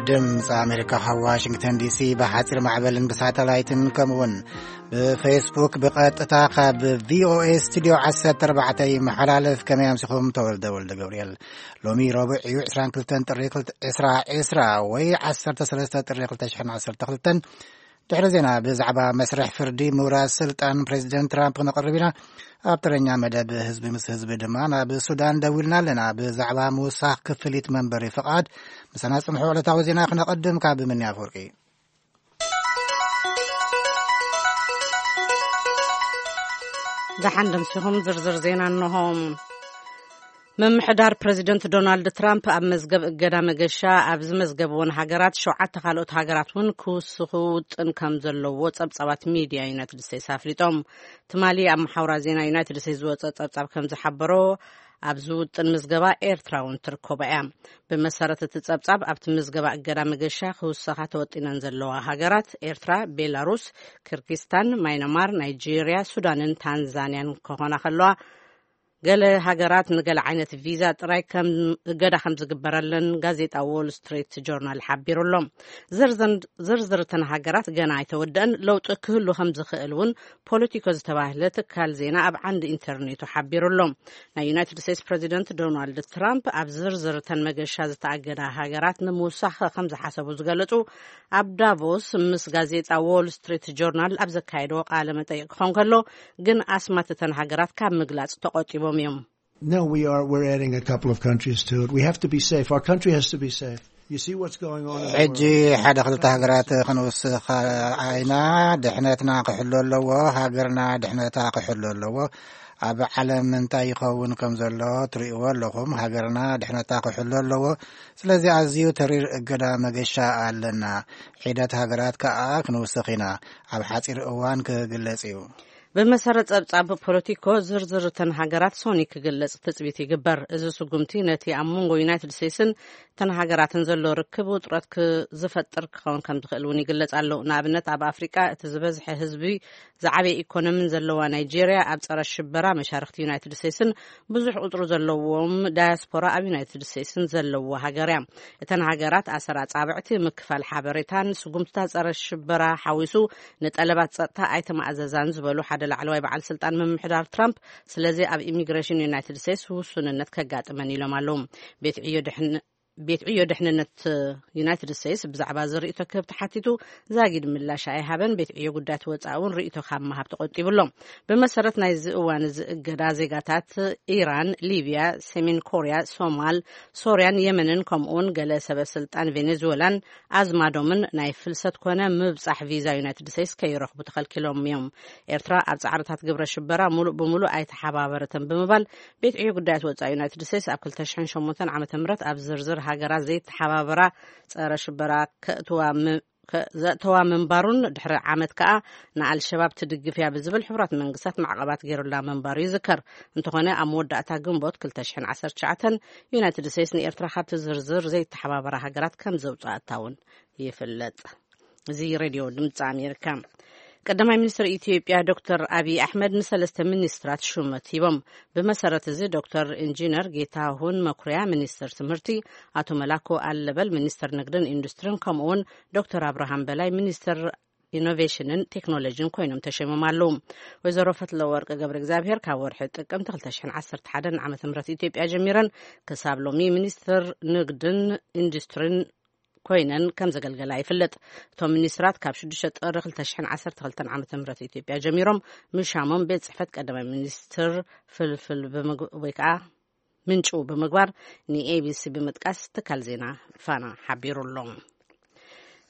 ድምፂ ኣሜሪካ ካብ ዋሽንግተን ዲሲ ብሓፂር ማዕበልን ብሳተላይትን ከምኡውን ብፌስቡክ ብቐጥታ ካብ ቪኦኤ ስቱዲዮ ዓሰርተ ኣርባዕተ ይመሓላለፍ። ከመይ ኣምሲኹም? ተወልደ ወልደ ገብርኤል። ሎሚ ረቡዕ እዩ፣ ዕስራን ክልተን ጥሪ ክልተ- ዕስራ ዕስራ ወይ ዓሰርተ ሰለስተ ጥሪ ክልተ ሽሕን ዓሰርተ ክልተን። ድሕሪ ዜና ብዛዕባ መስርሕ ፍርዲ ምውራድ ስልጣን ፕሬዚደንት ትራምፕ ክነቕርብ ኢና። ኣብ ተረኛ መደብ ህዝቢ ምስ ህዝቢ ድማ ናብ ሱዳን ደዊልና ኣለና። ብዛዕባ ምውሳኽ ክፍሊት መንበሪ ፍቓድ ምሳና ጽንሑ። ዕለታዊ ዜና ክነቐድም ካብ ምንያ ኣፈወርቂ። ደሓን ደምሲኹም ዝርዝር ዜና እንሆ። ምምሕዳር ፕሬዚደንት ዶናልድ ትራምፕ ኣብ መዝገብ እገዳ መገሻ ኣብ ዝመዝገብዎን ሃገራት ሸውዓተ ካልኦት ሃገራት እውን ክውስኹ ውጥን ከም ዘለዎ ጸብጻባት ሚድያ ዩናይትድ ስቴትስ ኣፍሊጦም። ትማሊ ኣብ መሓውራ ዜና ዩናይትድ ስቴትስ ዝወጸ ጸብጻብ ከም ዝሓበሮ ኣብዚ ውጥን ምዝገባ ኤርትራ እውን ትርከቦ እያ። ብመሰረት እቲ ጸብጻብ ኣብቲ ምዝገባ እገዳ መገሻ ክውሰኻ ተወጢነን ዘለዋ ሃገራት ኤርትራ፣ ቤላሩስ፣ ኪርጊስታን፣ ማይናማር፣ ናይጄርያ፣ ሱዳንን ታንዛንያን ክኾና ከለዋ፣ ገለ ሃገራት ንገለ ዓይነት ቪዛ ጥራይ ከም እገዳ ከም ዝግበረለን ጋዜጣ ዎል ስትሪት ጆርናል ሓቢሩ ኣሎ። ዝርዝር- ዝርዝር እተን ሃገራት ገና ኣይተወደአን። ለውጢ ክህሉ ከም ዝኽእል እውን ፖለቲኮ ዝተባህለ ትካል ዜና ኣብ ዓንዲ ኢንተርኔቱ ሓቢሩ ኣሎ። ናይ ዩናይትድ ስቴትስ ፕሬዚደንት ዶናልድ ትራምፕ ኣብ ዝርዝር እተን መገሻ ዝተኣገዳ ሃገራት ንምውሳኽ ከም ዝሓሰቡ ዝገለጹ ኣብ ዳቮስ ምስ ጋዜጣ ዎል ስትሪት ጆርናል ኣብ ዘካየድዎ ቃለ መጠይቅ ክኾን ከሎ፣ ግን ኣስማት እተን ሃገራት ካብ ምግላጽ ተቆጢቦም እዮም። No, we are. We're adding a couple of countries to it. We have to be safe. Our country has to be safe. You see what's going on in the ሕጂ world. ሓደ ክልተ ሃገራት ክንውስኽ ኣይና። ድሕነትና ክሕሎ ኣለዎ። ሃገርና ድሕነታ ክሕሎ ኣለዎ። ኣብ ዓለም እንታይ ይኸውን ከም ዘሎ ትርእይዎ ኣለኹም። ሃገርና ድሕነታ ክሕሎ ኣለዎ። ስለዚ ኣዝዩ ተሪር እገዳ መገሻ ኣለና። ሒደት ሃገራት ከኣ ክንውስኽ ኢና። ኣብ ሓጺር እዋን ክግለጽ እዩ። ብመሰረት ጸብጻብ ፖለቲኮ፣ ዝርዝር እተን ሃገራት ሶኒ ክግለጽ ትጽቢት ይግበር። እዚ ስጉምቲ ነቲ ኣብ መንጎ ዩናይትድ ስቴትስን እተን ሃገራትን ዘሎ ርክብ ውጥረት ክ- ዝፈጥር ክኸውን ከም ዝኽእል እውን ይግለጽ ኣሎ። ንኣብነት፣ ኣብ ኣፍሪቃ እቲ ዝበዝሐ ህዝቢ ዝዓበየ ኢኮኖሚን ዘለዋ ናይጄርያ ኣብ ጸረ ሽበራ መሻርክቲ ዩናይትድ ስቴትስን ብዙሕ ቁጽሪ ዘለዎም ዳያስፖራ ኣብ ዩናይትድ ስቴትስን ዘለዎ ሃገር እያ። እተን ሃገራት ኣሰር ኣጻብዕቲ፣ ምክፋል ሓበሬታን ስጉምትታት ጸረ ሽበራ ሓዊሱ ንጠለባት ጸጥታ ኣይተማእዘዛን ዝበሉ ሓደ ላዕለዋይ በዓል ስልጣን ምምሕዳር ትራምፕ፣ ስለዚ ኣብ ኢሚግሬሽን ዩናይትድ ስቴትስ ውሱንነት ከጋጥመን ኢሎም ኣለዉ። ቤት ዕዮ ድሕን- ቤት ዕዮ ድሕንነት ዩናይትድ ስቴትስ ብዛዕባ እዚ ርእይቶ ክህብ ተሓቲቱ ዛጊድ ምላሽ ኣይሃበን። ቤት ዕዮ ጉዳያት ወጻኢ እውን ርእይቶ ካብ ምሃብ ተቆጢቡ ኣሎ። ብመሰረት ናይዚ እዋን እዚ እገዳ፣ ዜጋታት ኢራን፣ ሊብያ፣ ሰሜን ኮርያ፣ ሶማል፣ ሶርያን የመንን ከምኡውን ገለ ሰበ ስልጣን ቬኔዙዌላን ኣዝማዶምን ናይ ፍልሰት ኮነ ምብጻሕ ቪዛ ዩናይትድ ስቴትስ ከይረኽቡ ተኸልኪሎም እዮም። ኤርትራ ኣብ ጻዕርታት ግብረ ሽበራ ሙሉእ ብሙሉእ ኣይተሓባበረትን ብምባል ቤት ዕዮ ጉዳያት ወጻኢ ዩናይትድ ስቴትስ ኣብ ክልተ ሽሕን ሸሞንተን ዓመተ ምህረት ኣብ ዝርዝር ሃገራት ዘይተሓባበራ ጸረ ሽበራ ከእትዋ ም- ከ- ዘእተዋ ምንባሩን ድሕሪ ዓመት ከኣ ንኣልሸባብ ትድግፍ እያ ብዝብል ሕቡራት መንግስታት ማዕቐባት ገይሩላ ምንባሩ ይዝከር። እንተኾነ ኣብ መወዳእታ ግንቦት ክልተ ሽሕን ዓሰርተ ትሽዓተን ዩናይትድ ስቴትስ ንኤርትራ ካብቲ ዝርዝር ዘይተሓባበራ ሃገራት ከም ዘውፅኣታ እውን ይፍለጥ። እዚ ሬድዮ ድምፂ ኣሜሪካ። ቀዳማይ ሚኒስትር ኢትዮጵያ ዶክተር ኣብይ ኣሕመድ ንሰለስተ ሚኒስትራት ሹመት ሂቦም። ብመሰረት እዚ ዶክተር ኢንጂነር ጌታሁን መኩሪያ ሚኒስትር ትምህርቲ፣ ኣቶ መላኩ ኣለበል ሚኒስትር ንግድን ኢንዱስትሪን ከምኡውን ዶክተር ኣብርሃም በላይ ሚኒስትር ኢኖቬሽንን ቴክኖሎጂን ኮይኖም ተሸይሞም ኣለዉ። ወይዘሮ ፈትለወርቅ ገብረ እግዚኣብሔር ካብ ወርሒ ጥቅምቲ ክልተ ሽሕን ዓሰርተ ሓደን ዓመተ ምህረት ኢትዮጵያ ጀሚረን ክሳብ ሎሚ ሚኒስትር ንግድን ኢንዱስትሪን ኮይነን ከም ዘገልገላ ይፍለጥ። እቶም ሚኒስትራት ካብ ሽዱሽተ ጥሪ ክልተ ሽሕን ዓሰርተ ክልተን ዓመተ ምህረት ኢትዮጵያ ጀሚሮም ምሻሞም ቤት ጽሕፈት ቀዳማይ ሚኒስትር ፍልፍል ብምግ- ወይ ከዓ ምንጩ ብምግባር ንኤቢሲ ብምጥቃስ ትካል ዜና ፋና ሓቢሩ ኣሎ።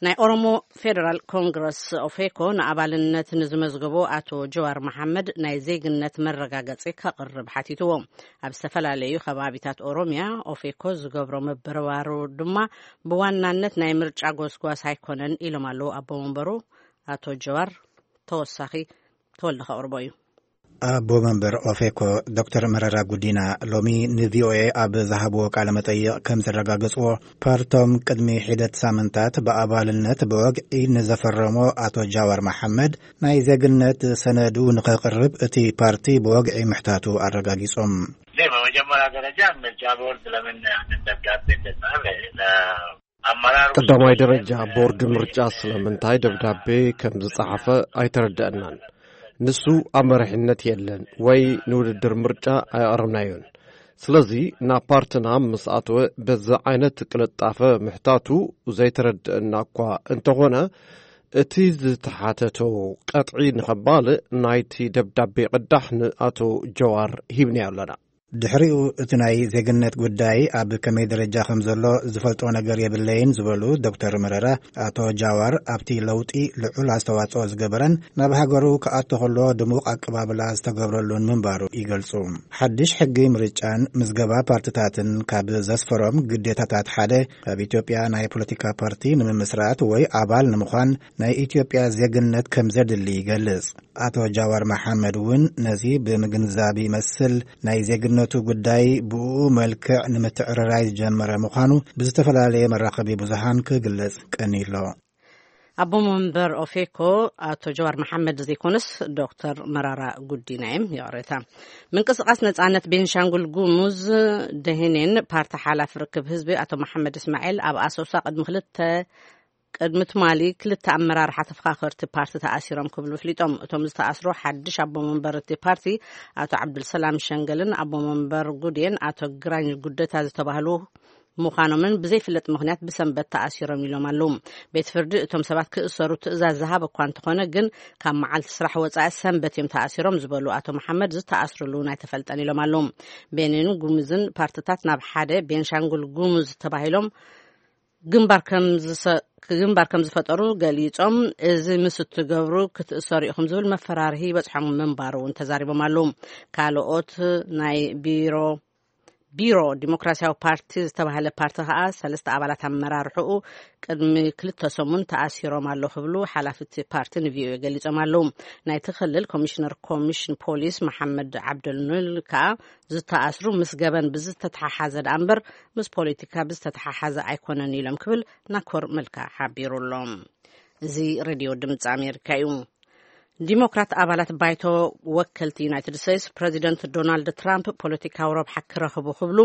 ናይ ኦሮሞ ፌደራል ኮንግረስ ኦፌኮ ንኣባልነት ንዝመዝገቦ ኣቶ ጀዋር መሓመድ ናይ ዜግነት መረጋገጺ ከቕርብ ሓቲትዎ። ኣብ ዝተፈላለዩ ከባቢታት ኦሮሚያ ኦፌኮ ዝገብሮ ምብርባሩ ድማ ብዋናነት ናይ ምርጫ ጎስጓስ ኣይኮነን ኢሎም ኣለዉ ኣቦ መንበሩ ኣቶ ጀዋር። ተወሳኺ ተወልደ ከቕርቦ እዩ። ኣቦ መንበር ኦፌኮ ዶክተር መረራ ጉዲና ሎሚ ንቪኦኤ ኣብ ዝሃብዎ ቃለ መጠይቕ ከም ዘረጋገጽዎ፣ ፓርቶም ቅድሚ ሒደት ሳምንታት ብኣባልነት ብወግዒ ንዘፈረሞ ኣቶ ጃዋር መሓመድ ናይ ዜግነት ሰነዱ ንኸቕርብ እቲ ፓርቲ ብወግዒ ምሕታቱ ኣረጋጊጾም። እኔ በመጀመሪያ ደረጃ ምርጫ ቦርድ ለምን ያንን ደብዳቤ እንደጻፈ ለ- ቀዳማይ ደረጃ ቦርድ ምርጫ ስለምንታይ ደብዳቤ ከም ዝጸሓፈ ኣይተረደአናን። ንሱ ኣብ መሪሕነት የለን ወይ ንውድድር ምርጫ ኣይኣረምናዮን። ስለዚ ናብ ፓርትና ምስ ኣተወ በዚ ዓይነት ቅልጣፈ ምሕታቱ ዘይተረድአና እኳ እንተኾነ፣ እቲ ዝተሓተቶ ቀጥዒ ንኸባልእ ናይቲ ደብዳቤ ቅዳሕ ንኣቶ ጀዋር ሂብናዮ ኣለና። ድሕሪኡ እቲ ናይ ዜግነት ጉዳይ ኣብ ከመይ ደረጃ ከም ዘሎ ዝፈልጦ ነገር የብለይን ዝበሉ ዶክተር መረራ፣ ኣቶ ጃዋር ኣብቲ ለውጢ ልዑል ኣስተዋጽኦ ዝገበረን ናብ ሃገሩ ክኣቶ ከሎ ድሙቕ ኣቀባብላ ዝተገብረሉን ምንባሩ ይገልጹ። ሓድሽ ሕጊ ምርጫን ምዝገባ ፓርትታትን ካብ ዘስፈሮም ግዴታታት ሓደ ኣብ ኢትዮጵያ ናይ ፖለቲካ ፓርቲ ንምምስራት ወይ ኣባል ንምዃን ናይ ኢትዮጵያ ዜግነት ከም ዘድሊ ይገልጽ። ኣቶ ጃዋር መሓመድ እውን ነዚ ብምግንዛብ ይመስል ናይ ዜግነቱ ጉዳይ ብኡ መልክዕ ንምትዕርራይ ዝጀመረ ምዃኑ ብዝተፈላለየ መራኸቢ ብዙሃን ክግለጽ ቀኒሎ። ኣቦ መንበር ኦፌኮ ኣቶ ጀዋር መሓመድ ዘይኮነስ ዶክተር መራራ ጉዲና እዮም። ይቕሬታ። ምንቅስቃስ ነጻነት ቤንሻንጉል ጉሙዝ ደሄኔን ፓርቲ ሓላፊ ርክብ ህዝቢ ኣቶ መሓመድ እስማኤል ኣብ ኣሶሳ ቅድሚ ክልተ ቅድሚ ትማሊ ክልተ ኣመራርሓ ተፈኻኸርቲ ፓርቲ ተኣሲሮም ክብሉ ኣፍሊጦም። እቶም ዝተኣስሩ ሓድሽ ኣቦ መንበር እቲ ፓርቲ ኣቶ ዓብዱልሰላም ሸንገልን ኣቦ መንበር ጉዴን ኣቶ ግራኝ ጉደታ ዝተባህሉ ምዃኖምን ብዘይፍለጥ ምኽንያት ብሰንበት ተኣሲሮም ኢሎም ኣለዉ። ቤት ፍርዲ እቶም ሰባት ክእሰሩ ትእዛዝ ዝሃበ እኳ እንተኾነ ግን ካብ መዓልቲ ስራሕ ወጻኢ ሰንበት እዮም ተኣሲሮም ዝበሉ ኣቶ መሓመድ ዝተኣስርሉ ኣይተፈልጠን ኢሎም ኣለዉ። ቤኒን ጉሙዝን ፓርትታት ናብ ሓደ ቤንሻንጉል ጉሙዝ ተባሂሎም ግንባር ከም ዝሰ-፣ ግንባር ከም ዝፈጠሩ ገሊጾም፣ እዚ ምስ እትገብሩ ክትእሰሩ ኢኹም ዝብል መፈራርሂ ይበጽሖም ምንባሩ እውን ተዛሪቦም ኣለዉ። ካልኦት ናይ ቢሮ፣ ቢሮ ዲሞክራሲያዊ ፓርቲ ዝተባህለ ፓርቲ ከኣ ሰለስተ ኣባላት ኣመራርሕኡ ቅድሚ ክልተ ሰሙን ተኣሲሮም ኣለዉ ክብሉ ሓላፊ እቲ ፓርቲ ንቪኦኤ ገሊጾም ኣለዉ። ናይቲ ክልል ኮሚሽነር ኮሚሽን ፖሊስ መሓመድ ዓብደልኑል ከኣ ዝተኣስሩ ምስ ገበን ብዝተተሓሓዘ ደኣ እምበር ምስ ፖለቲካ ብዝተተሓሓዘ ኣይኮነን ኢሎም ክብል ናኮር መልካ ሓቢሩ ኣሎ። እዚ ሬድዮ ድምፂ ኣሜሪካ እዩ። ዲሞክራት ኣባላት ባይቶ ወከልቲ ዩናይትድ ስቴትስ ፕሬዚደንት ዶናልድ ትራምፕ ፖለቲካዊ ረብሓ ክረኽቡ ክብሉ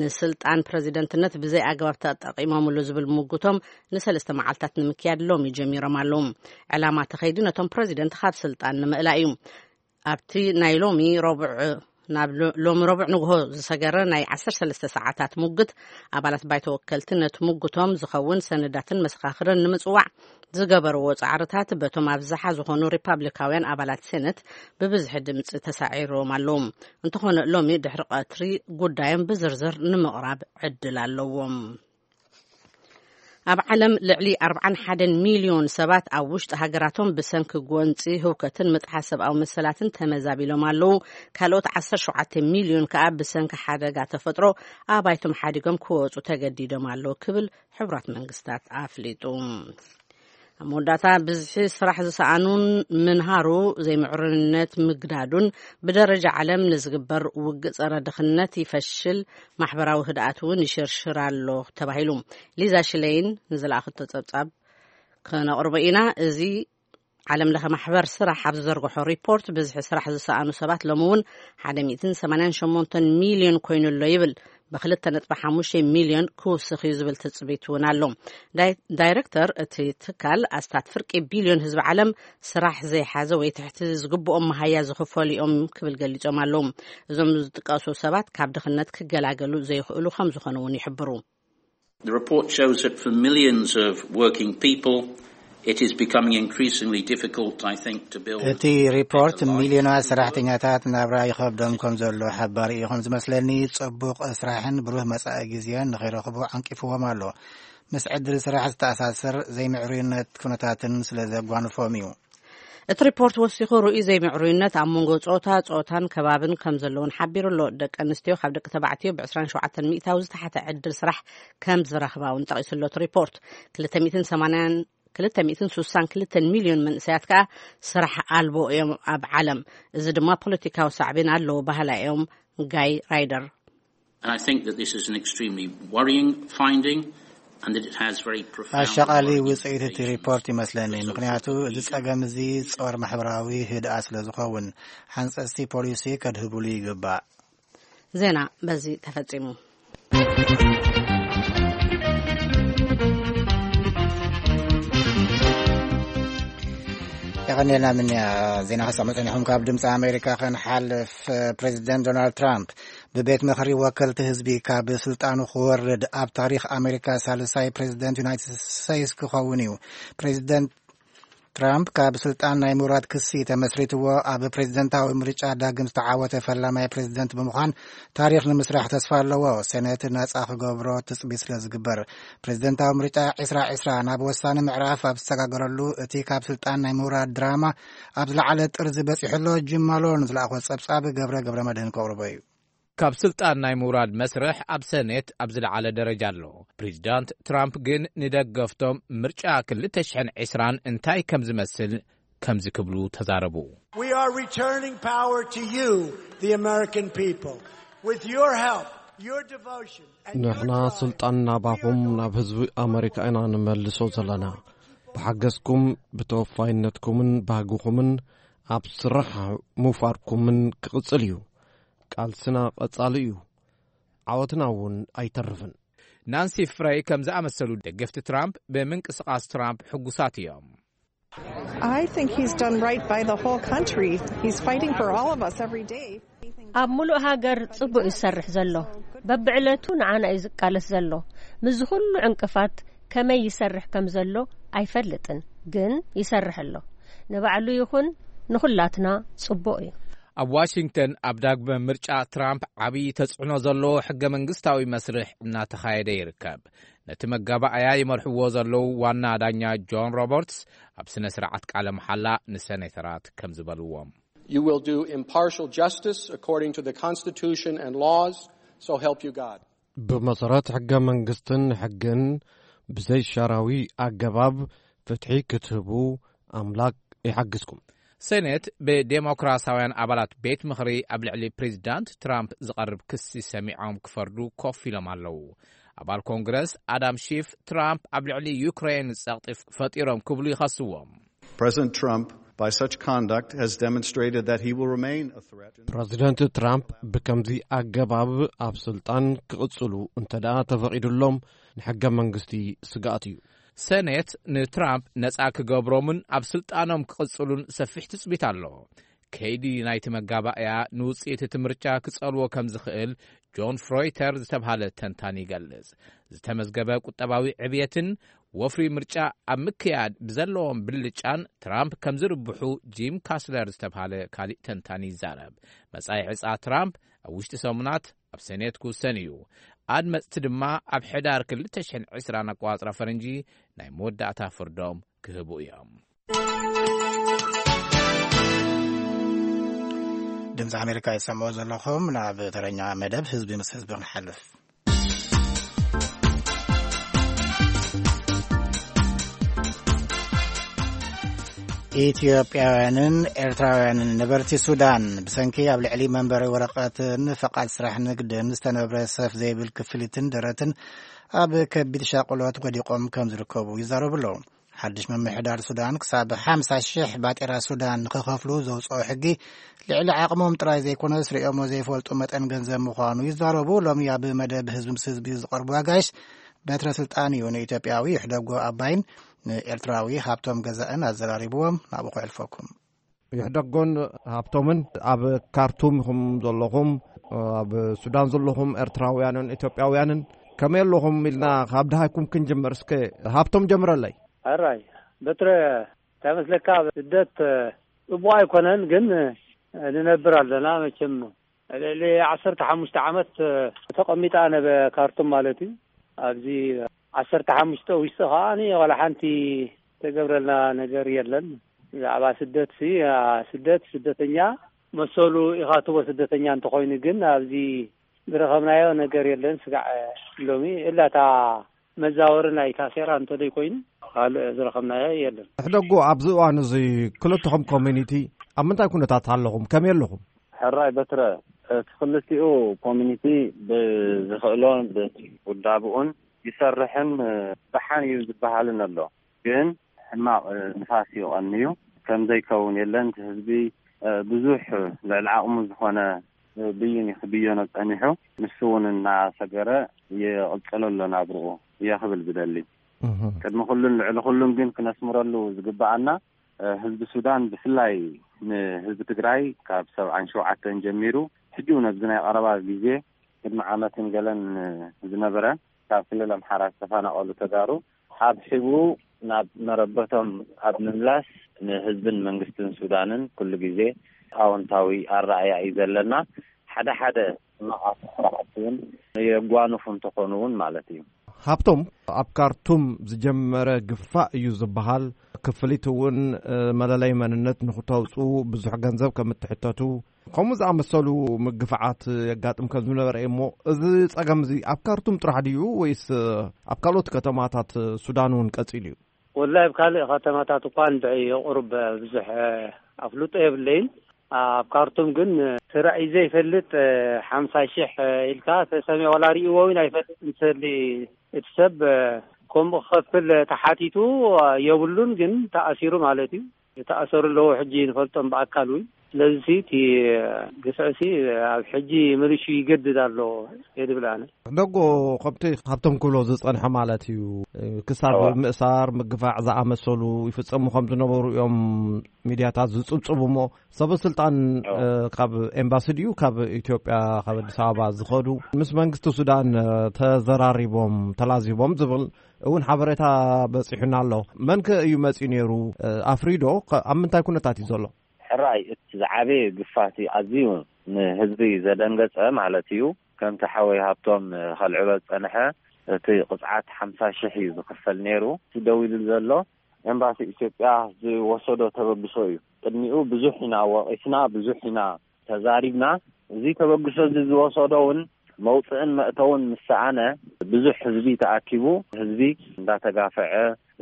ንስልጣን ፕሬዚደንትነት ብዘይ ኣግባብ ተጠቂሞምሉ ዝብል ምጉቶም ንሰለስተ መዓልታት ንምክያድ ሎሚ ጀሚሮም ኣለዉ። ዕላማ ተኸይዲ ነቶም ፕሬዚደንት ካብ ስልጣን ንምእላይ እዩ። ኣብቲ ናይ ሎሚ ረቡዕ ናብ ሎ-፣ ሎሚ ረቡዕ ንግሆ ዝሰገረ ናይ ዓሰርተ ሰለስተ ሰዓታት ሙግት ኣባላት ባይቶ ወከልቲ ነቲ ሙግቶም ዝኸውን ሰነዳትን መሰኻኽርን ንምጽዋዕ ዝገበርዎ ጻዕርታት በቶም ኣብዝሓ ዝኾኑ ሪፓብሊካውያን ኣባላት ሴነት ብብዝሒ ድምጺ ተሳዒርዎም ኣለዉ። እንተኾነ ሎሚ ድሕሪ ቀትሪ ጉዳዮም ብዝርዝር ንምቕራብ ዕድል ኣለዎም። ኣብ ዓለም ልዕሊ ኣርባዓን ሓደን ሚልዮን ሰባት ኣብ ውሽጢ ሃገራቶም ብሰንኪ ጎንጺ ህውከትን ምጥሓስ ሰብኣዊ መሰላትን ተመዛቢሎም ኣለዉ። ካልኦት ዓሰርተ ሸውዓተ ሚልዮን ከኣ ብሰንኪ ሓደጋ ተፈጥሮ ኣባይቶም ሓዲጎም ክወጹ ተገዲዶም ኣለዉ ክብል ሕቡራት መንግስታት ኣፍሊጡ። ኣብ መወዳእታ ብዝሒ ስራሕ ዝሰኣኑን ምንሃሩ ዘይምዕሩይነት ምግዳዱን ብደረጃ ዓለም ንዝግበር ውግእ ጸረ ድኽነት ይፈሽል፣ ማሕበራዊ ህድኣት እውን ይሽርሽር ኣሎ ተባሂሉ። ሊዛ ሽለይን ንዝለኣኸቶ ጸብጻብ ከነቕርቦ ኢና። እዚ ዓለም ለኸ ማሕበር ስራሕ ኣብ ዝዘርግሖ ሪፖርት ብዝሒ ስራሕ ዝሰኣኑ ሰባት ሎሚ እውን ሓደ ሚእትን ሰማንያን ሸሞንተን ሚልዮን ኮይኑ ኣሎ ይብል። ብክልተ ነጥቢ ሓሙሽተ ሚልዮን ክውስኽ እዩ ዝብል ትጽቢት እውን ኣሎ። ዳይ-፣ ዳይሬክተር እቲ ትካል ኣስታት ፍርቂ ቢልዮን ህዝቢ ዓለም ስራሕ ዘይሓዘ ወይ ትሕቲ ዝግብኦም መሃያ ዝኽፈሉ እዮም ክብል ገሊጾም ኣለዉ። እዞም ዝጥቀሱ ሰባት ካብ ድኽነት ክገላገሉ ዘይኽእሉ ከም ዝኾኑ እውን ይሕብሩ። The report shows that for millions of working people, it is becoming increasingly difficult, I think, to build እቲ ሪፖርት a life. ሚልዮናት ሰራሕተኛታት ናብራ ይኸብዶም ከም ዘሎ ሓባሪ እዩ ከም ዝመስለኒ። ጽቡቕ ስራሕን ብሩህ መጻኢ ግዜን ንኸይረኽቡ ዓንቂፍዎም ኣሎ። ምስ ዕድል ስራሕ ዝተኣሳሰር ዘይምዕሩይነት ኩነታትን ስለ ዘጓንፎም እዩ። እቲ ሪፖርት ወሲኹ ርእዩ ዘይምዕሩይነት ኣብ መንጎ ጾታ፣ ጾታን ከባብን ከም ዘለውን ሓቢሩ ኣሎ። ደቂ ኣንስትዮ ካብ ደቂ ተባዕትዮ ብ ዕስራን ሸውዓተን ሚእታዊ ዝተሓተ ዕድል ስራሕ ከም ዝረኽባ እውን ጠቒሱ ኣሎ እቲ ሪፖርት። ክልተ ሚእትን ሰማንያን፣ ክልተ ሚእትን ሱሳን ክልተን ሚልዮን መንእሰያት ከኣ ስራሕ ኣልቦ እዮም ኣብ ዓለም። እዚ ድማ ፖለቲካዊ ሳዕቤን ኣለዎ በሃላ እዮም ጋይ ራይደር። And I think that this is an extremely worrying finding and that it has very profound አሻቃሊ worrying ውጽኢት እቲ implications ሪፖርት ይመስለኒ፣ for social ምክንያቱ እዚ ጸገም እዚ ጸወር ማሕበራዊ ህድኣ ስለ ዝኸውን ሓንጸጽቲ ፖሊሲ ከድህብሉ ይግባእ። ዜና በዚ ተፈጺሙ። ቀኒልና ምንያ ዜና ከሰምዑ ጸኒሖም። ካብ ድምፂ ኣሜሪካ ከንሓልፍ፣ ፕሬዚደንት ዶናልድ ትራምፕ ብቤት ምኽሪ ወከልቲ ህዝቢ ካብ ስልጣኑ ክወርድ ኣብ ታሪኽ ኣሜሪካ ሳልሳይ ፕሬዚደንት ዩናይትድ ስቴትስ ክኸውን እዩ። ፕሬዚደንት ትራምፕ ካብ ስልጣን ናይ ምውራድ ክሲ ተመስሪትዎ ኣብ ፕሬዚደንታዊ ምርጫ ዳግም ዝተዓወተ ፈላማይ ፕሬዚደንት ብምዃን ታሪኽ ንምስራሕ ተስፋ ኣለዎ። ሴኔት ነጻ ክገብሮ ትጽቢት ስለ ዝግበር፣ ፕሬዚደንታዊ ምርጫ ዕስራ ዕስራ ናብ ወሳኒ ምዕራፍ ኣብ ዝሰጋገረሉ፣ እቲ ካብ ስልጣን ናይ ምውራድ ድራማ ኣብ ዝለዓለ ጥርዚ በጺሑ ኣሎ። ጂም ማሎን ዝለኣኾ ጸብጻብ ገብረ ገብረ መድህን ከቕርቦ እዩ። ካብ ስልጣን ናይ ምውራድ መስርሕ ኣብ ሰኔት ኣብ ዝለዓለ ደረጃ ኣሎ። ፕሬዚዳንት ትራምፕ ግን ንደገፍቶም ምርጫ ክልተ ሽሕን ዕስራን እንታይ ከም ዝመስል ከምዚ ክብሉ ተዛረቡ። We are returning power to you, the American people, with your help, your devotion, and your ንሕና drive, ስልጣን ናባኹም ናብ ህዝቢ ኣሜሪካ ኢና ንመልሶ ዘለና። ብሓገዝኩም፣ ብተወፋይነትኩምን ባህግኹምን ኣብ ስራሕ ምውፋርኩምን ክቕጽል እዩ። ቃልስና ቀጻሊ እዩ። ዓወትና እውን ኣይተርፍን። ናንሲ ፍረይ ከም ዝኣመሰሉ ደገፍቲ ትራምፕ ብምንቅስቓስ ትራምፕ ሕጉሳት እዮም። I think he's done right by the whole country. He's fighting for all of us every day. ኣብ ሙሉእ ሃገር ጽቡቕ ይሰርሕ ዘሎ። በብዕለቱ ንዓና እዩ ዝቃለስ ዘሎ። ምስዚ ኩሉ ዕንቅፋት ከመይ ይሰርሕ ከም ዘሎ ኣይፈልጥን፣ ግን ይሰርሕ ኣሎ። ንባዕሉ ይኹን ንኹላትና ጽቡቕ እዩ። ኣብ ዋሽንግተን ኣብ ዳግመ ምርጫ ትራምፕ ዓብዪ ተጽዕኖ ዘለዎ ሕገ መንግስታዊ መስርሕ እናተኻየደ ይርከብ። ነቲ መጋባእያ ይመርሕዎ ዘለዉ ዋና ዳኛ ጆን ሮበርትስ ኣብ ስነ ስርዓት ቃለ መሓላ ንሰኔተራት ከም ዝበልዎም You will do impartial justice according to the Constitution and laws, so help you God. ብመሰረት ሕገ መንግስትን ሕግን ብዘይሻራዊ ኣገባብ ፍትሒ ክትህቡ ኣምላክ ይሓግዝኩም። ሴኔት ብዴሞክራሲያውያን ኣባላት ቤት ምኽሪ ኣብ ልዕሊ ፕሬዚዳንት ትራምፕ ዝቐርብ ክሲ ሰሚዖም ክፈርዱ ኮፍ ኢሎም ኣለዉ። ኣባል ኮንግረስ ኣዳም ሺፍ ትራምፕ ኣብ ልዕሊ ዩክሬን ጸቕጢ ፈጢሮም ክብሉ ይኸስዎም። President Trump, by such conduct, has demonstrated that he will remain a threat. ፕረዚደንት ትራምፕ ብከምዚ ኣገባብ ኣብ ስልጣን ክቕጽሉ እንተ ደኣ ተፈቒዱሎም ንሕገ መንግስቲ ስግኣት እዩ። ሰኔት ንትራምፕ ነጻ ክገብሮምን ኣብ ስልጣኖም ክቕጽሉን ሰፊሕ ትጽቢት ኣሎ። ከይዲ ናይቲ መጋባእያ ንውጽኢት እቲ ምርጫ ክጸልዎ ከም ዝኽእል ጆን ፍሮይተር ዝተብሃለ ተንታኒ ይገልጽ። ዝተመዝገበ ቁጠባዊ ዕብየትን ወፍሪ ምርጫ ኣብ ምክያድ ብዘለዎም ብልጫን ትራምፕ ከም ዝርብሑ ጂም ካስለር ዝተብሃለ ካሊእ ተንታኒ ይዛረብ። መጻኢ ዕጻ ትራምፕ ኣብ ውሽጢ ሰሙናት ኣብ ሰኔት ክውሰን እዩ። ኣድመጽቲ ድማ ኣብ ሕዳር ክልተ ሽሕን ዕስራን ኣቋጽራ ፈረንጂ ናይ መወዳእታ ፍርዶም ክህቡ እዮም። ድምፂ ኣሜሪካ ይሰምዑ ዘለኹም። ናብ ተረኛ መደብ ህዝቢ ምስ ህዝቢ ክንሓልፍ። ኢትዮጵያውያንን ኤርትራውያንን ነበርቲ ሱዳን ብሰንኪ ኣብ ልዕሊ መንበሪ ወረቐትን ፈቓድ ስራሕ ንግድን ዝተነብረ ሰፍ ዘይብል ክፍሊትን ደረትን ኣብ ከቢድ ሻቕሎት ወዲቖም ከም ዝርከቡ ይዛረቡ ኣለዉ። ሓድሽ ምምሕዳር ሱዳን ክሳብ ሓምሳ ሽሕ ባጤራ ሱዳን ንኽኸፍሉ ዘውፅኦ ሕጊ ልዕሊ ዓቕሞም ጥራይ ዘይኮነስ ርእዮሞ ዘይፈልጡ መጠን ገንዘብ ምዃኑ ይዛረቡ። ሎሚ ኣብ መደብ ህዝቢ ምስ ህዝቢ ዝቐርቡ ኣጋይሽ በትረ ስልጣን እዩ ንኢትዮጵያዊ ይሕደጎ ኣባይን ንኤርትራዊ ሃብቶም ገዛእን ኣዘራሪብዎም። ናብኡ ከሕልፈኩም። ይሕደጎን ሃብቶምን ኣብ ካርቱም ኢኹም ዘለኹም፣ ኣብ ሱዳን ዘለኹም ኤርትራውያንን ኢትዮጵያውያንን ከመይ ኣለኹም ኢልና ካብ ድሃይኩም ክንጅምር። እስከ ሃብቶም ጀምረለይ። ሕራይ በትረ እንታይ መስለካ፣ ስደት ጽቡቕ ኣይኮነን፣ ግን ንነብር ኣለና። መቸም ልዕሊ ዓሰርተ ሓሙሽተ ዓመት ተቐሚጣ ነበ ካርቱም ማለት እዩ። ኣብዚ ዓሰርተ ሓሙሽተ ውሽጢ ከዓኒ ዋላ ሓንቲ ተገብረልና ነገር የለን። ብዛዕባ ስደት ሲ ስደት ስደተኛ መሰሉ ኢኻ ትቦ ስደተኛ እንተኾይኑ፣ ግን ኣብዚ ዝረኸብናዮ ነገር የለን። ስጋዕ ሎሚ እላታ መዛወሪ ናይ ታሴራ እንተደይ ኮይኑ ካልእ ዝረኸብናዮ የለን። ሕደጉ ኣብዚ እዋን እዚ ክልተኹም ኮሚኒቲ ኣብ ምንታይ ኩነታት ኣለኹም? ከመይ ኣለኹም? ሕራይ በትረ፣ እቲ ክልቲኡ ኮሚኒቲ ብዝኽእሎን ብውዳብኡን ይሰርሕን ደሓን እዩ ዝበሃልን ኣሎ። ግን ሕማቕ ንፋስ እዩ ቀንዩ። ከም ዘይከውን የለን። እቲ ህዝቢ ብዙሕ ልዕሊ ዓቕሙ ዝኾነ ብይን እዩ ክብየኖ ጸኒሑ። ንሱ እውን እናሰገረ ይቕጽሎ ኣሎ ናብርኡ እየ ክብል ዝደሊ። ቅድሚ ኩሉን ልዕሊ ኩሉን ግን ክነስምረሉ ዝግበኣና ህዝቢ ሱዳን ብፍላይ ንህዝቢ ትግራይ ካብ ሰብዓን ሸውዓተን ጀሚሩ ሕጂ እውን ኣብዚ ናይ ቀረባ ግዜ ቅድሚ ዓመትን ገለን ዝነበረ ካብ ክልል ኣምሓራ ዝተፈናቐሉ ተጋሩ ኣብ ሒቡ ናብ መረበቶም ኣብ ምምላስ ንህዝብን መንግስትን ሱዳንን ኩሉ ግዜ ኣወንታዊ ኣረኣያ እዩ ዘለና። ሓደ ሓደ ሕማቓት ስራሕቲ እውን የጓንፉ እንተኾኑ እውን ማለት እዩ። ሃብቶም ኣብ ካርቱም ዝጀመረ ግፋ እዩ ዝበሃል። ክፍሊት እውን መለለይ መንነት ንክተውፁ ብዙሕ ገንዘብ ከም እትሕተቱ ከምኡ ዝኣመሰሉ ምግፍዓት የጋጥም ከም ዝነበረ እዩ። እሞ እዚ ፀገም እዚ ኣብ ካርቱም ጥራሕ ድዩ ወይስ ኣብ ካልኦት ከተማታት ሱዳን እውን ቀፂሉ እዩ? ወላሂ ኣብ ካልእ ከተማታት እኳ እንድዒ የቑርብ ብዙሕ ኣፍልጦ የብለይን። ኣብ ካርቱም ግን ስራዕ እዩ ዘይፈልጥ ሓምሳ ሽሕ ኢልካ ተሰሚዑ ዋላ ርእይዎ እውን ኣይፈልጥ እንተሊ እቲ ሰብ ከምኡ ክኸፍል ተሓቲቱ የብሉን ግን ተኣሲሩ ማለት እዩ። ዝተኣሰሩ ኣለዉ ሕጂ ንፈልጦም ብኣካል እውን። ስለዚ እቲ ግፍዕሲ ኣብ ሕጂ ምልሹ ይገድድ ኣሎ የድብል ኣነ። ደጎ ከምቲ ካብቶም ክብሎ ዝጸንሐ ማለት እዩ። ክሳብ ምእሳር ምግፋዕ ዝኣመሰሉ ይፍጸሙ ከም ዝነበሩ እዮም ሚድያታት ዝጽብጽቡ እሞ ሰበ ስልጣን ካብ ኤምባሲ ድዩ ካብ ኢትዮጵያ ካብ ኣዲስ ኣበባ ዝኸዱ ምስ መንግስቲ ሱዳን ተዘራሪቦም ተላዚቦም ዝብል እውን ሓበሬታ በጺሑና ኣሎ። መን ከ እዩ መጺኡ ነይሩ? ኣፍሪዶ ኣብ ምንታይ ኩነታት እዩ ዘሎ? ሕራይ እቲ ዝዓበየ ግፋቲ ኣዝዩ ንህዝቢ ዘደንገጸ ማለት እዩ። ከምቲ ሓወይ ሃብቶም ከልዕሎ ዝጸንሐ እቲ ቅጽዓት ሓምሳ ሽሕ እዩ ዝኽፈል ነይሩ። እቲ ደው ኢሉ ዘሎ ኤምባሲ ኢትዮጵያ ዝወሰዶ ተበግሶ እዩ። ቅድሚኡ ብዙሕ ኢና ወቒስና፣ ብዙሕ ኢና ተዛሪብና። እዚ ተበግሶ እዚ ዝወሰዶ እውን መውፅእን መእተውን ምስ ሰኣነ ብዙሕ ህዝቢ ተኣኪቡ ህዝቢ እንዳተጋፈዐ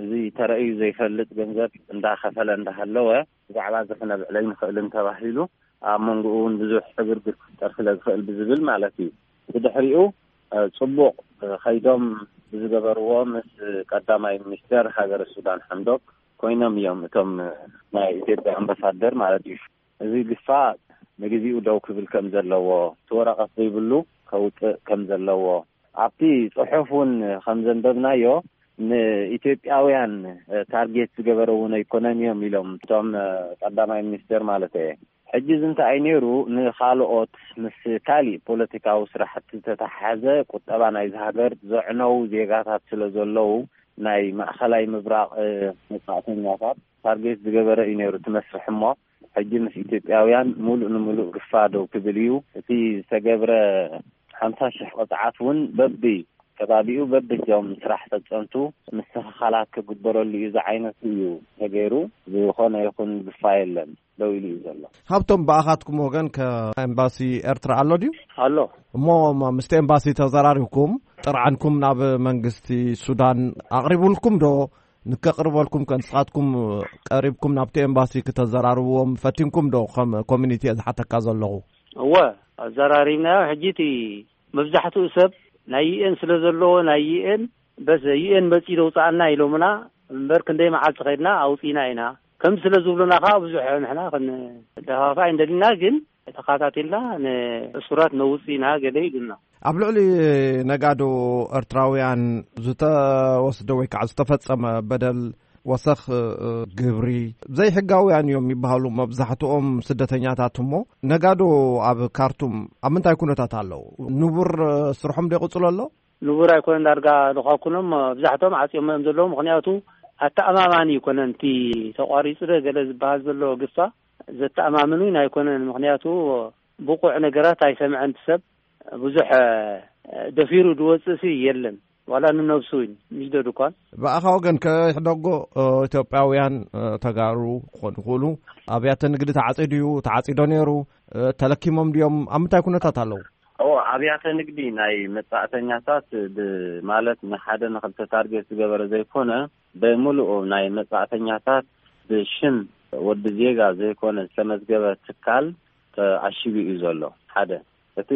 እዚ ተረእዩ ዘይፈልጥ ገንዘብ እንዳኸፈለ እንዳሃለወ ብዛዕባ እዚ ክነብዕል ኣይንኽእልን ተባሂሉ ኣብ መንጎኡ እውን ብዙሕ ዕግርግር ክፍጠር ስለ ዝኽእል ብዝብል ማለት እዩ። ብድሕሪኡ ፅቡቕ ከይዶም ብዝገበርዎ ምስ ቀዳማይ ሚኒስተር ሃገረ ሱዳን ሓምዶክ ኮይኖም እዮም እቶም ናይ ኢትዮጵያ ኣምባሳደር ማለት እዩ። እዚ ግፋ ንግዜኡ ደው ክብል ከም ዘለዎ እቲ ወረቐት ዘይብሉ ከውፅእ ከም ዘለዎ ኣብቲ ፅሑፍ እውን ከም ዘንበብናዮ ንኢትዮጵያውያን ታርጌት ዝገበረ እውን ኣይኮነን እዮም ኢሎም እቶም ቀዳማይ ሚኒስተር ማለት እየ። ሕጂ እዚ እንታይ እዩ ነይሩ ንኻልኦት ምስ ካሊእ ፖለቲካዊ ስራሕቲ ዝተተሓሓዘ ቁጠባ ናይዚ ሃገር ዘዕነው ዜጋታት ስለ ዘለዉ ናይ ማእኸላይ ምብራቕ መጻእተኛታት ታርጌት ዝገበረ እዩ ነይሩ እቲ መስርሕ እሞ ሕጂ ምስ ኢትዮጵያውያን ሙሉእ ንሙሉእ ግፋ ደው ክብል እዩ። እቲ ዝተገብረ ሓምሳ ሽሕ ቅፅዓት እውን በቢ ከባቢኡ በብእዚኦም ስራሕ ፈፀምቱ ምስትኽኻላት ክግበረሉ እዩ ዝዓይነቱ እዩ ተገይሩ። ዝኾነ ይኹን ግፋ የለን ደው ኢሉ እዩ ዘሎ። ሃብቶም ብኣኻትኩም ወገን ከኤምባሲ ኤርትራ ኣሎ ድዩ? ኣሎ። እሞ ምስቲ ኤምባሲ ተዘራሪብኩም ጥርዓንኩም ናብ መንግስቲ ሱዳን ኣቕሪቡልኩም ዶ? ንከቕርበልኩም ከ ንስኻትኩም ቀሪብኩም ናብቲ ኤምባሲ ክተዘራርብዎም ፈቲንኩም ዶ? ከም ኮሚኒቲ እየ ዝሓተካ ዘለኹ። እወ ኣዘራሪብናዮ። ሕጂ እቲ መብዛሕትኡ ሰብ ናይ ዩኤን ስለ ዘለዎ ናይ ዩኤን በስ ዩኤን መፂኡ ደውፃኣና ኢሎምና እምበር ክንደይ መዓልቲ ከይድና ኣውፂና ኢና። ከም ስለ ዝብሉና ከዓ ብዙሕ ንሕና ክንደፋፋ ኣይንደሊና ግን ተኻታቲልና ንእሱራት ነውፅእ ኢና ገለ ኢሉና። ኣብ ልዕሊ ነጋዶ ኤርትራውያን ዝተወስደ ወይ ከዓ ዝተፈጸመ በደል ወሰኽ ግብሪ ዘይሕጋውያን እዮም ይበሃሉ መብዛሕትኦም ስደተኛታት እሞ ነጋዶ ኣብ ካርቱም ኣብ ምንታይ ኩነታት ኣለዉ? ንቡር ስርሖም ዶ ይቕጽሎ ኣሎ? ንቡር ኣይኮነን ዳርጋ ልኳኩኖም መብዛሕትኦም ዓጽዮም እዮም ዘለዉ ምክንያቱ ኣተኣማማኒ ይኮነን እቲ ተቋሪጹ ዶ ገለ ዝበሃል ዘሎ ግፋ ዘተኣማምን እውን ኣይኮነን ምክንያቱ ብቑዕ ነገራት ኣይሰምዐን ሰብ ብዙሕ ደፊሩ ዝወፅእ ሲ የለን ዋላ ንነብሱ እውን ምሽ ዶ ድኳን። ብኣኻ ወገን ከሕደጎ ኢትዮጵያውያን ተጋሩ ክኾኑ ይኽእሉ ኣብያተ ንግዲ ተዓፂዱ እዩ ተዓፂዶ ነይሩ ተለኪሞም ድዮም ኣብ ምንታይ ኩነታት ኣለዉ? ኣብያተ ንግዲ ናይ መጻእተኛታት ማለት ንሓደ ንክልተ ታርጌት ዝገበረ ዘይኮነ ብምሉኡ ናይ መጻእተኛታት ብሽም ወዲ ዜጋ ዘይኮነ ዝተመዝገበ ትካል ተኣሺቡ እዩ ዘሎ ሓደ እቲ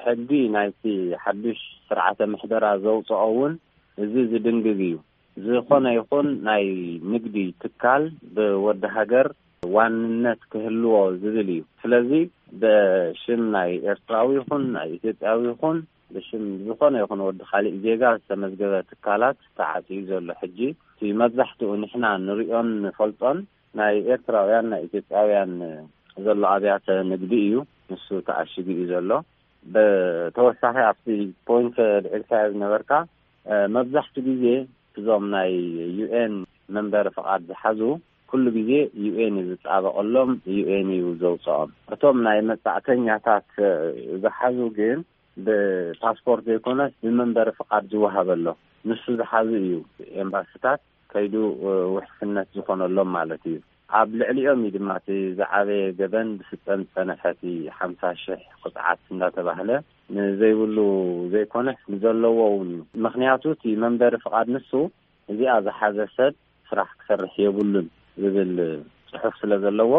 ሕጊ ናይቲ ሓዱሽ ስርዓተ ምሕደራ ዘውፅኦ እውን እዚ ዝድንግግ እዩ። ዝኾነ ይኹን ናይ ንግዲ ትካል ብወዲ ሃገር ዋንነት ክህልዎ ዝብል እዩ። ስለዚ ብሽም ናይ ኤርትራዊ ይኹን ናይ ኢትዮጵያዊ ይኹን ብሽም ዝኾነ ይኹን ወዲ ካሊእ ዜጋ ዝተመዝገበ ትካላት ተዓፅዩ ዘሎ ሕጂ እቲ መብዛሕትኡ ንሕና ንሪኦን ንፈልጦን ናይ ኤርትራውያን፣ ናይ ኢትዮጵያውያን ዘሎ ኣብያተ ንግዲ እዩ። ንሱ ተኣሽጉ እዩ ዘሎ። ብተወሳኺ ኣብቲ ፖይንት ልዕልካዮ ዝነበርካ፣ እ፣ መብዛሕትኡ ግዜ እዞም ናይ ዩ ኤን መንበሪ ፍቓድ ዝሓዙ ኩሉ ግዜ ዩ ኤን እዩ ዝጣበቐሎም፣ ዩ ኤን እዩ ዘውፅኦም። እቶም ናይ መጻዕተኛታት፣ እ፣ ዝሓዙ ግን ብፓስፖርት ዘይኮነስ ብመንበሪ ፍቓድ ዝወሃበሎም፣ ንሱ ዝሓዙ እዩ ኤምባሲታት ከይዱ፣ እ፣ ውሕስነት ዝኾነሎም ማለት እዩ። ኣብ ልዕሊኦም እዩ ድማ እቲ ዝዓበየ ገበን ብስጠም ዝጸንሐ እቲ ሓምሳ ሽሕ ቅጽዓት እንዳተባህለ ንዘይብሉ ዘይኮነስ ንዘለዎ እውን እዩ። ምኽንያቱ እቲ መንበሪ ፍቓድ ንሱ እዚኣ ዝሓዘ ሰብ ስራሕ ክሰርሕ የብሉን ዝብል ጽሑፍ ስለ ዘለዎ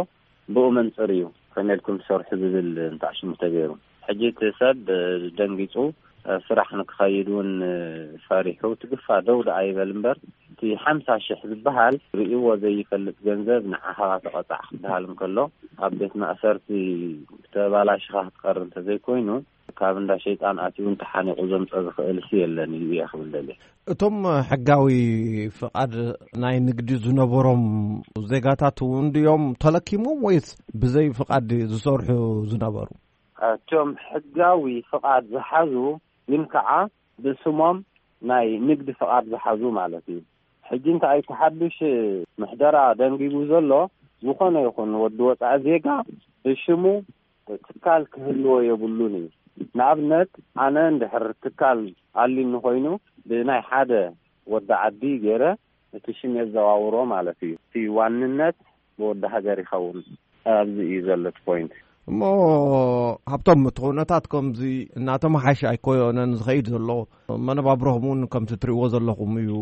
ብኡ መንጽር እዩ ከመይ ኢልኩም ትሰርሑ ዝብል እንታሽሙ ተገይሩ። ሕጂ እቲ ሰብ ደንጊጹ ስራሕ ንክኸይድ እውን ፈሪሑ ትግፋ ደው ደኣ ይበል እምበር እቲ ሓምሳ ሽሕ ዝበሃል ርእይዎ ዘይፈልጥ ገንዘብ ንዓኻ ተቐጻዕ ክበሃል እንከሎ ኣብ ቤት ማእሰርቲ ተባላሽኻ ክትቀር እንተዘይኮይኑ ካብ እንዳ ሸይጣን ኣትዩ እውን ተሓኒቑ ዘምፀ ዝኽእል ሲ የለን እዩ እየ ክብል ደልየ። እቶም ሕጋዊ ፍቓድ ናይ ንግዲ ዝነበሮም ዜጋታት እውን ድዮም ተለኪሞም ወይስ ብዘይ ፍቓድ ዝሰርሑ ዝነበሩ? እቶም ሕጋዊ ፍቓድ ዝሓዙ ግን ከዓ ብስሞም ናይ ንግዲ ፍቓድ ዝሓዙ ማለት እዩ። ሕጂ እንታይ እቲ ሓዱሽ ምሕደራ ደንጊጉ ዘሎ፣ ዝኾነ ይኹን ወዲ ወፃኢ ዜጋ ብሽሙ ትካል ክህልዎ የብሉን እዩ። ንኣብነት ኣነ እንድሕር ትካል ኣሊኒ ኮይኑ ብናይ ሓደ ወዲ ዓዲ ገይረ እቲ ሽም የዘዋውሮ ማለት እዩ። እቲ ዋንነት ብወዲ ሃገር ይኸውን። ኣብዚ እዩ ዘሎ እቲ ፖይንት። እሞ ሃብቶም፣ እቲ ኩነታት ከምዚ እናተመሓየሸ ኣይኮነን ዝኸይድ ዘሎ። መነባብሮኹም እውን ከምቲ ትርእይዎ ዘለኹም እዩ።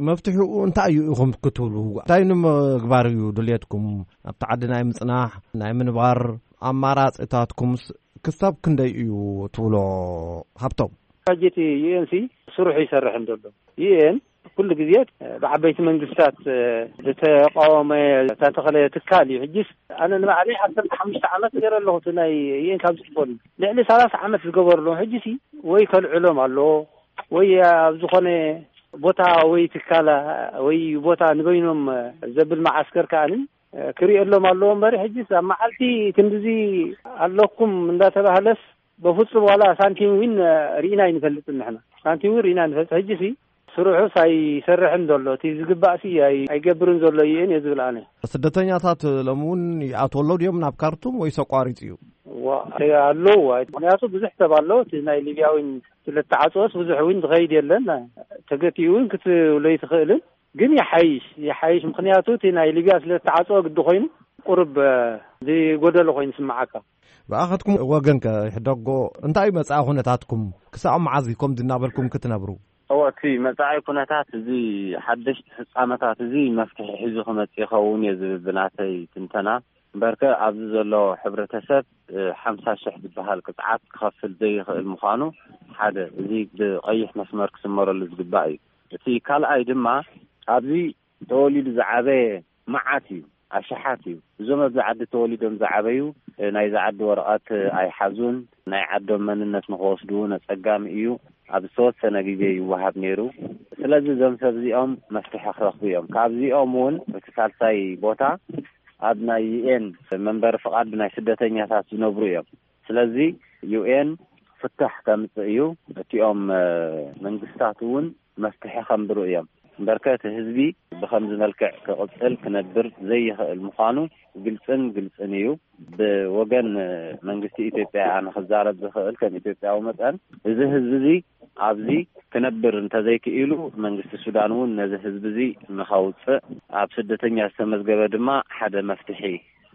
መፍትሒኡ እንታይ እዩ ኢኹም ክትብሉ? እንታይ ንምግባር እዩ ድልየትኩም? ኣብቲ ዓዲ ናይ ምጽናሕ፣ ናይ ምንባር ኣማራጺታትኩምስ ክሳብ ክንደይ እዩ ትብሎ ሃብቶም? ሕጂ እቲ ዩ ኤን ሲ ስርሑ ይሰርሕ እንተሎ፣ ዩ ኤን ኩሉ ግዜ ብዓበይቲ መንግስታት ዝተቃወመ ዝተተኸለ ትካል እዩ። ሕጂስ ኣነ ንባዕለይ ዓሰርተ ሓሙሽተ ዓመት ገይረ ኣለኹ እቲ ናይ ዩ ኤን ካብ ዝትኮን ልዕሊ ሰላሳ ዓመት ዝገበርሎም። ሕጂሲ ወይ ከልዕሎም ኣለዎ ወይ ኣብ ዝኾነ ቦታ ወይ ትካል ወይ ቦታ ንበይኖም ዘብል መዓስከር ከኣኒ ክርእየሎም ኣለዎ እምበር ሕጂስ ኣብ መዓልቲ ክንድዚ ኣለኩም እንዳተባህለስ በፍጹም ዋላ ሳንቲም እውን ርኢና ኣይንፈልጥን ንሕና። ሳንቲም እውን ርኢና ንፈልጥ። ሕጂሲ ስርሑስ ኣይሰርሕን ዘሎ፣ እቲ ዝግባእሲ ኣይ-፣ ኣይገብርን ዘሎ እዩ እየ ዝብል ኣነ። ስደተኛታት ሎሚ እውን ይኣትዉ ኣለዉ ድዮም ናብ ካርቱም ወይስ ኣቋሪጹ እዩ? ዋ፣ ኣለዉ። ምኽንያቱ ብዙሕ ሰብ ኣሎ። እቲ ናይ ሊብያ እውን ስለ ተዓጽወስ ብዙሕ እውን ዝኸይድ የለን። ተገቲኡ እውን ክትብሎ ኣይትኽእልን። ግን ይሓይሽ፣ ይሓይሽ። ምኽንያቱ እቲ ናይ ሊብያ ስለ ዝተዓጽወ ግዲ ኮይኑ ቁሩብ፣ እ፣ ዝጎደለ ኮይኑ ስምዓካ። ብኣኸትኩም ወገን ከ ይሕደጎ እንታይ መጻኢ ኩነታትኩም? ክሳብ መዓዝ እዩ ከምዚ እናበልኩም ክትነብሩ? እወ፣ እቲ መጻኢ ኩነታት እዚ ሓደሽቲ ፍጻመታት እዚ መፍትሒ ሒዙ ክመጽእ ይኸውን እየ ዝብል ብናተይ ትንተና። እምበርከ ኣብዚ ዘሎ ሕብረተሰብ፣ እ፣ ሓምሳ ሽሕ ዝበሃል ቅጽዓት ክኸፍል ዘይኽእል ምዃኑ ሓደ፣ እዚ ብቐይሕ መስመር ክስመረሉ ዝግባእ እዩ። እቲ ካልኣይ ድማ ኣብዚ ተወሊዱ ዝዓበየ መዓት እዩ፣ ኣሽሓት እዩ። እዞም ኣብዚ ዓዲ ተወሊዶም ዝዓበዩ፣ እ፣ ናይዚ ዓዲ ወረቐት ኣይሓዙን፣ ናይ ዓዶም መንነት ንኽወስዱ እውን ኣጸጋሚ እዩ። ኣብ ዝተወሰነ ግዜ ይወሃብ ነይሩ። ስለዚ እዞም ሰብ እዚኦም መፍትሒ ክረኽቡ እዮም። ካብዚኦም እውን እቲ ሳልሳይ ቦታ ኣብ ናይ ዩ ኤን መንበሪ ፍቓድ ናይ ስደተኛታት ዝነብሩ እዮም። ስለዚ ዩ ኤን ፍታሕ ከምጽእ እዩ። እቲኦም፣ እ፣ መንግስታት እውን መፍትሒ ከንብሩ እዮም። እምበርከ እቲ ህዝቢ ብኸምዚ መልክዕ ክቕጽል ክነብር ዘይኽእል ምዃኑ ግልጽን ግልጽን እዩ። ብወገን መንግስቲ ኢትዮጵያ ኣነ ክዛረብ ዝኽእል ከም ኢትዮጵያዊ መጠን፣ እዚ ህዝቢ እዚ ኣብዚ ክነብር እንተዘይክኢሉ፣ መንግስቲ ሱዳን እውን ነዚ ህዝቢ እዚ ንኸውጽእ፣ ኣብ ስደተኛ ዝተመዝገበ ድማ ሓደ መፍትሒ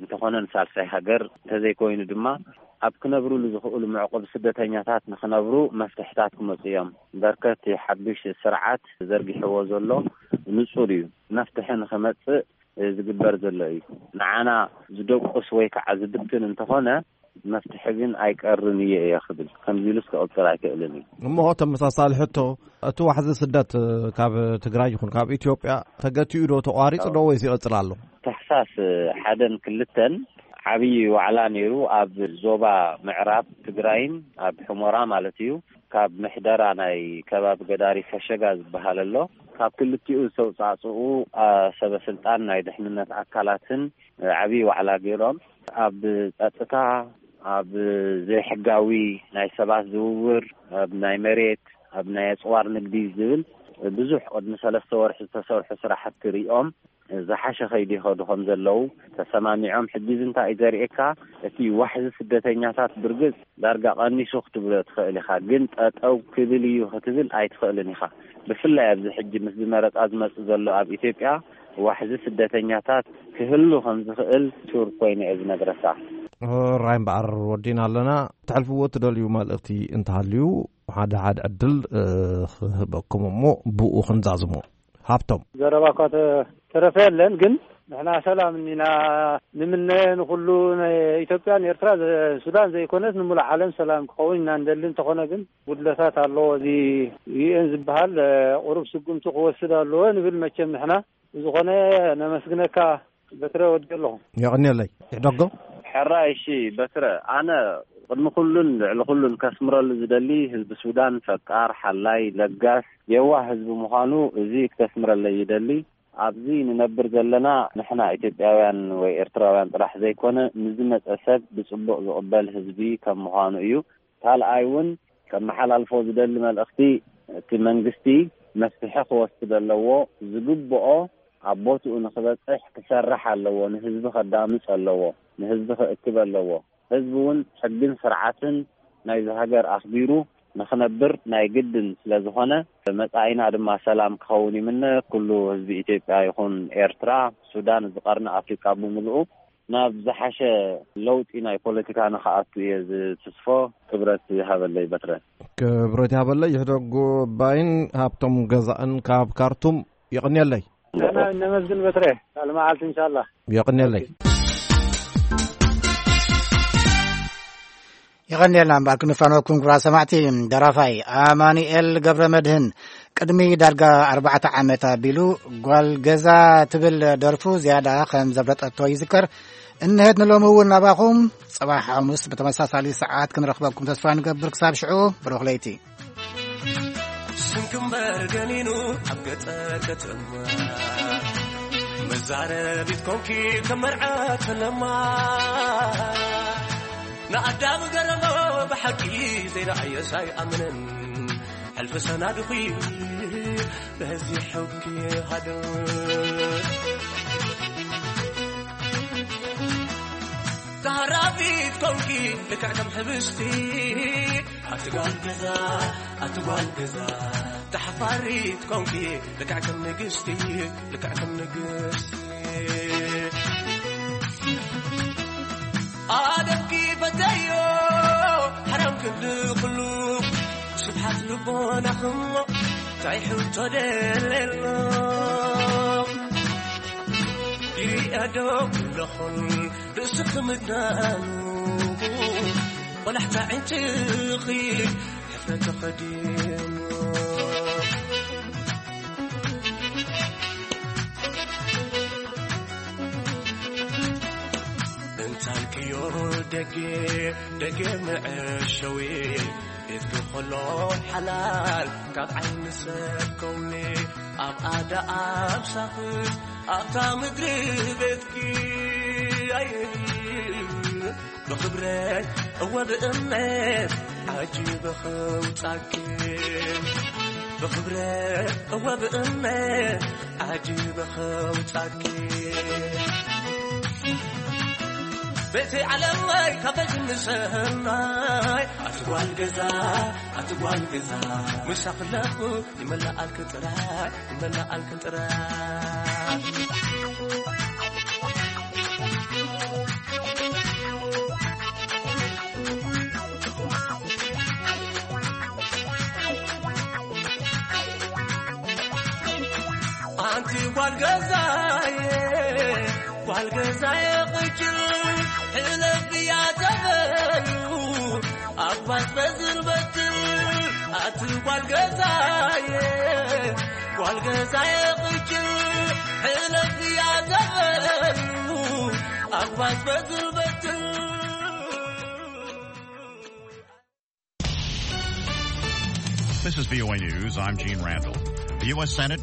እንተኾነ ንሳልሳይ ሃገር፣ እንተዘይኮይኑ ድማ ኣብ ክነብሩሉ ዝኽእሉ መዕቆቢ ስደተኛታት ንኽነብሩ መፍትሕታት ክመጹ እዮም። በርከት ሓዱሽ ስርዓት ዘርጊሕዎ ዘሎ ንጹር እዩ። መፍትሒ ንኽመጽእ ዝግበር ዘሎ እዩ። ንዓና ዝደቁስ ወይ ከዓ ዝብትን እንተኾነ፣ መፍትሒ ግን ኣይቀርን እየ እየ ክብል፣ ከምዚ ኢሉስ ክቕጽል ኣይክእልን እዩ። እሞ ተመሳሳሊ ሕቶ፣ እቲ ዋሕዚ ስደት ካብ ትግራይ ይኹን ካብ ኢትዮጵያ ተገቲኡ ዶ፣ ተቋሪጹ ዶ ወይስ ይቕጽል ኣሎ? ታሕሳስ ሓደን ክልተን ዓብዪ ዋዕላ ነይሩ ኣብ ዞባ ምዕራብ ትግራይን ኣብ ሑመራ ማለት እዩ። ካብ ምሕደራ ናይ ከባቢ ገዳሪ ፈሸጋ ዝበሃል ኣሎ። ካብ ክልቲኡ ዝተውጻእጽኡ፣ አ፣ ሰበ ስልጣን ናይ ድሕንነት ኣካላትን፣ እ፣ ዓብዪ ዋዕላ ገይሮም። ኣብ ጸጥታ፣ ኣብ ዘይሕጋዊ ናይ ሰባት ዝውውር፣ ኣብ ናይ መሬት፣ ኣብ ናይ ኣጽዋር ንግዲ ዝብል ብዙሕ ቅድሚ ሰለስተ ወርሒ ዝተሰርሑ ስራሕቲ ሪኦም ዝሓሸ ከይዲ ይኸዱ ከም ዘለዉ ተሰማሚዖም። ሕጂ እዚ እንታይ እዩ ዘርእየካ? እቲ ዋሕዚ ስደተኛታት ብርግጽ ዳርጋ ቀኒሱ ክትብሎ ትኽእል ኢኻ፣ ግን ጠጠው ክብል እዩ ክትብል ኣይትኽእልን ኢኻ። ብፍላይ ኣብዚ ሕጂ ምስዚ መረጻ ዝመጽእ ዘሎ ኣብ ኢትዮጵያ ዋሕዚ ስደተኛታት ክህሉ ከም ዝኽእል ሹር ኮይኑ እየ ዝነግረካ። ራይ እምበኣር ወዲና ኣለና። ተሕልፍዎ ትደልዩ መልእኽቲ እንተሃልዩ ሓደ ሓደ ዕድል፣ እ፣ ክህበኩም እሞ ብኡ ክንዛዝሞ። ሃብቶም። ዘረባ እኳ ተ-፣ ተረፈ የለን፣ ግን ንሕና ሰላም እኒና። ንምነ ንኹሉ ናይ ኢትዮጵያን ኤርትራ ዘ-፣ ሱዳን ዘይኮነስ ንሙሉእ ዓለም ሰላም ክኸውን ኢና እንደሊ። እንተኾነ ግን ጉድለታት ኣለዎ። እዚ ዩ ኤን ዝበሃል፣ እ፣ ቁሩብ ስጉምቲ ክወስድ ኣለዎ ንብል መቸም ንሕና። ብዝኾነ ነመስግነካ በትረ ወዲ ኣለኹ። የቐንየለይ። ይሕደጎ። ሕራይ፣ እሺ በትረ፣ ኣነ ቅድሚ ኩሉን ልዕሊ ኩሉን ከስምረሉ ዝደሊ ህዝቢ ሱዳን ፈቃር፣ ሓላይ፣ ለጋስ፣ የዋህ ህዝቢ ምዃኑ እዚ ክተስምረለይ ይደሊ። ኣብዚ ንነብር ዘለና ንሕና ኢትዮጵያውያን ወይ ኤርትራውያን ጥራሕ ዘይኮነ ንዝመጸ ሰብ ብጽቡቕ ዝቕበል ህዝቢ ከም ምዃኑ እዩ። ካልኣይ እውን ከመሓላልፎ ዝደሊ መልእኽቲ እቲ መንግስቲ መፍትሒ ክወስድ ኣለዎ። ዝግብኦ ኣብ ቦትኡ ንክበጽሕ ክሰርሕ ኣለዎ። ንህዝቢ ከዳምጽ ኣለዎ። ንህዝቢ ክእክብ ኣለዎ። ህዝቢ እውን ሕግን ስርዓትን ናይዚ ሃገር ኣኽቢሩ ንክነብር ናይ ግድን ስለ ዝኾነ፣ መጻኢና ድማ ሰላም ክኸውን ይምነ። ኩሉ ህዝቢ ኢትዮጵያ ይኹን ኤርትራ፣ ሱዳን፣ እዚ ቀርኒ ኣፍሪቃ ብምልኡ ናብ ዝሓሸ ለውጢ ናይ ፖለቲካ ንክኣቱ እየ ዝትስፎ። ክብረት ይሃበለይ በትረ። ክብረት ይሃበለይ። ይሕደጉ ባይን ሃብቶም ገዛእን ካብ ካርቱም። የቕንየለይ። ንሕና ነመስግን በትረ። ካልእ መዓልቲ እንሻላ። የቕንየለይ። የቐንየልና እምበኣር ክንፋነወኩም ክቡራት ሰማዕቲ። ደራፋይ ኣማኑኤል ገብረ መድህን ቅድሚ ዳርጋ ኣርባዕተ ዓመት ኣቢሉ ጓል ገዛ ትብል ደርፉ ዝያዳ ከም ዘፍለጠቶ ይዝከር። እንሄት ንሎሚ እውን ናባኹም። ጽባሕ ሓሙስ ብተመሳሳሊ ሰዓት ክንረኽበኩም ተስፋ ንገብር። ክሳብ ሽዑ ብሩኽ ለይቲ። ስንክምበር ገኒኑ ኣብ ገጠር ከተማ መዛረቢት ኮንኪ ከም መርዓት ፈለማ ንኣዳም ገረሞ ብሓቂ ዘይረኣየስ ኣይኣምንን ሕልፊ ሰናድኺ በዚ ሕጊ ሃደ ተሃራፊት ኮንኪ ልክዕ ከም ሕብስቲ ኣቲ ጓል ገዛ ኣቲ ጓል ገዛ ተሓፋሪት ኮንኪ ልክዕ ከም ንግስቲ ልክዕ ከም ንግስቲ ኣደምኪ በተዮ ሓራም ክንዲ ኩሉ ስብሓት ልቦናኽሞ እንታይ ሕቶ ደለሎ ይሪኦ ዶ ኣለኹን ርእስኺ ምድናኑ ቆላሕታ ዕንጭኺ ሕፍረት ተኸዲኑ እንታልክዮ ደጌ ደጌ መዐሸዊ ቤትኪ ኸሎ ሓላል ካብ ዓይኒ ሰብ ከውሊ ኣብ ኣዳ ኣብ ሳኽት ኣብታ ምድሪ ቤትኪ ብኽብረት እወ ብእምነት ዓጂበ ኸውጻኪ ብኽብረት እወ ብእምነት ዓጂበ ኸውጻኪ ቤተይ ዓለመይ ካበይ ክንሰናይ ኣቲ ጓል ገዛ ኣቲ ጓል ገዛ ምሳኽ ኣለኹ ይመላኣልኪ ጥራይ ይመላኣልኪ ጥራይ ኣንቲ ጓል ገዛየ ጓል ገዛየ ቅጭል ሕለፍያ ተበሉ ኣባስ በዝርበትል ኣቲ ጓል ገዛየ ጓል ገዛየ ቅጭል ሕለፍያ ተበሉ ኣባስ በዝርበትል This is V O A News. I'm Gene Randall. The U S Senate